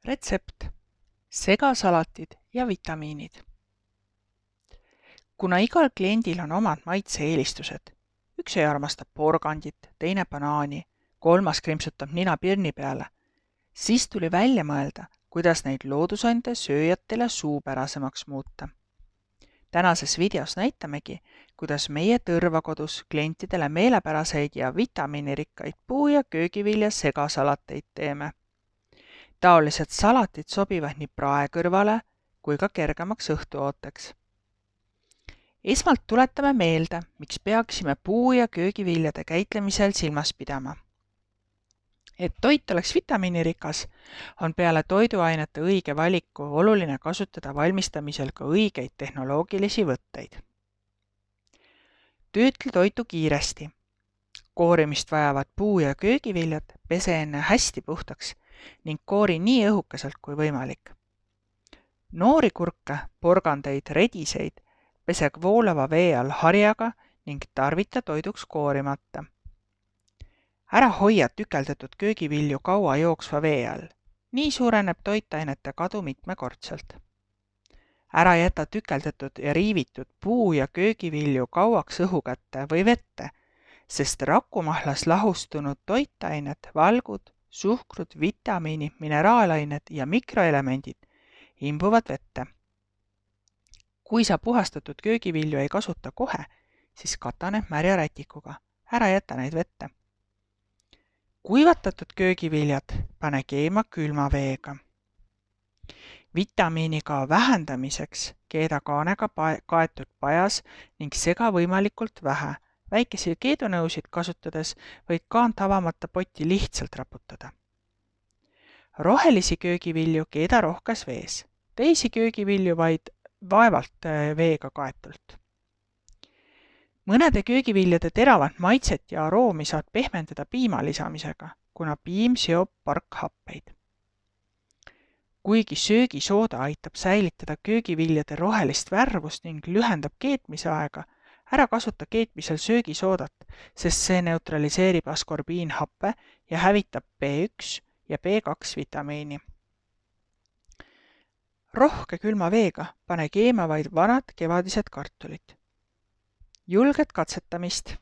Retsept: segasalatid ja vitamiinid. Kuna igal kliendil on omad maitse-eelistused, üks ei armasta porgandit, teine banaani, kolmas krimpsutab nina pirni peale, siis tuli välja mõelda, kuidas neid loodusande sööjatele suupärasemaks muuta. Tänases videos näitamegi, kuidas meie tõrvakodus klientidele meelepäraseid ja vitamiinirikkaid puu- ja köögivilja segasalateid teeme. Taolised salatid sobivad nii praekõrvale kui ka kergemaks õhtuooteks. Esmalt tuletame meelde, miks peaksime puu- ja köögiviljade käitlemisel silmas pidama. Et toit oleks vitamiinirikas, on peale toiduainete õige valiku oluline kasutada valmistamisel ka õigeid tehnoloogilisi võtteid. Töötle toitu kiiresti. Koorimist vajavad puu- ja köögiviljad pese enne hästi puhtaks ning koori nii õhukeselt kui võimalik. Noori kurke, porgandeid, rediseid pese voolava vee all harjaga ning tarvita toiduks koorimata. Ära hoia tükeldatud köögivilju kaua jooksva vee all. Nii suureneb toitainete kadu mitmekordselt. Ära jäta tükeldatud ja riivitud puu- ja köögivilju kauaks õhu kätte või vette, sest rakumahlas lahustunud toitained, valgud, suhkrud, vitamiinid, mineraalained ja mikroelemendid imbuvad vette. Kui sa puhastatud köögivilju ei kasuta kohe, siis kata need märja rätikuga. Ära jäta neid vette. Kuivatatud köögiviljad pane keema külma veega. Vitamiinikao vähendamiseks keeda kaanega kaetud pajas ning sega võimalikult vähe. Väikesi keedunõusid kasutades võid kaant avamata potti lihtsalt raputada. Rohelisi köögivilju keeda rohkes vees. Teisi köögivilju vaid vaevalt veega kaetult. Mõnede köögiviljade teravat maitset ja aroomi saad pehmendada piima lisamisega, kuna piim seob parkhappeid. Kuigi söögisooda aitab säilitada köögiviljade rohelist värvust ning lühendab keetmisaega, ära kasuta keetmisel söögisoodat, sest see neutraliseerib askorbiinhappe ja hävitab B1 ja B2 vitamiini. Rohke külma veega pane keema vaid vanad kevadised kartulid. Julget katsetamist!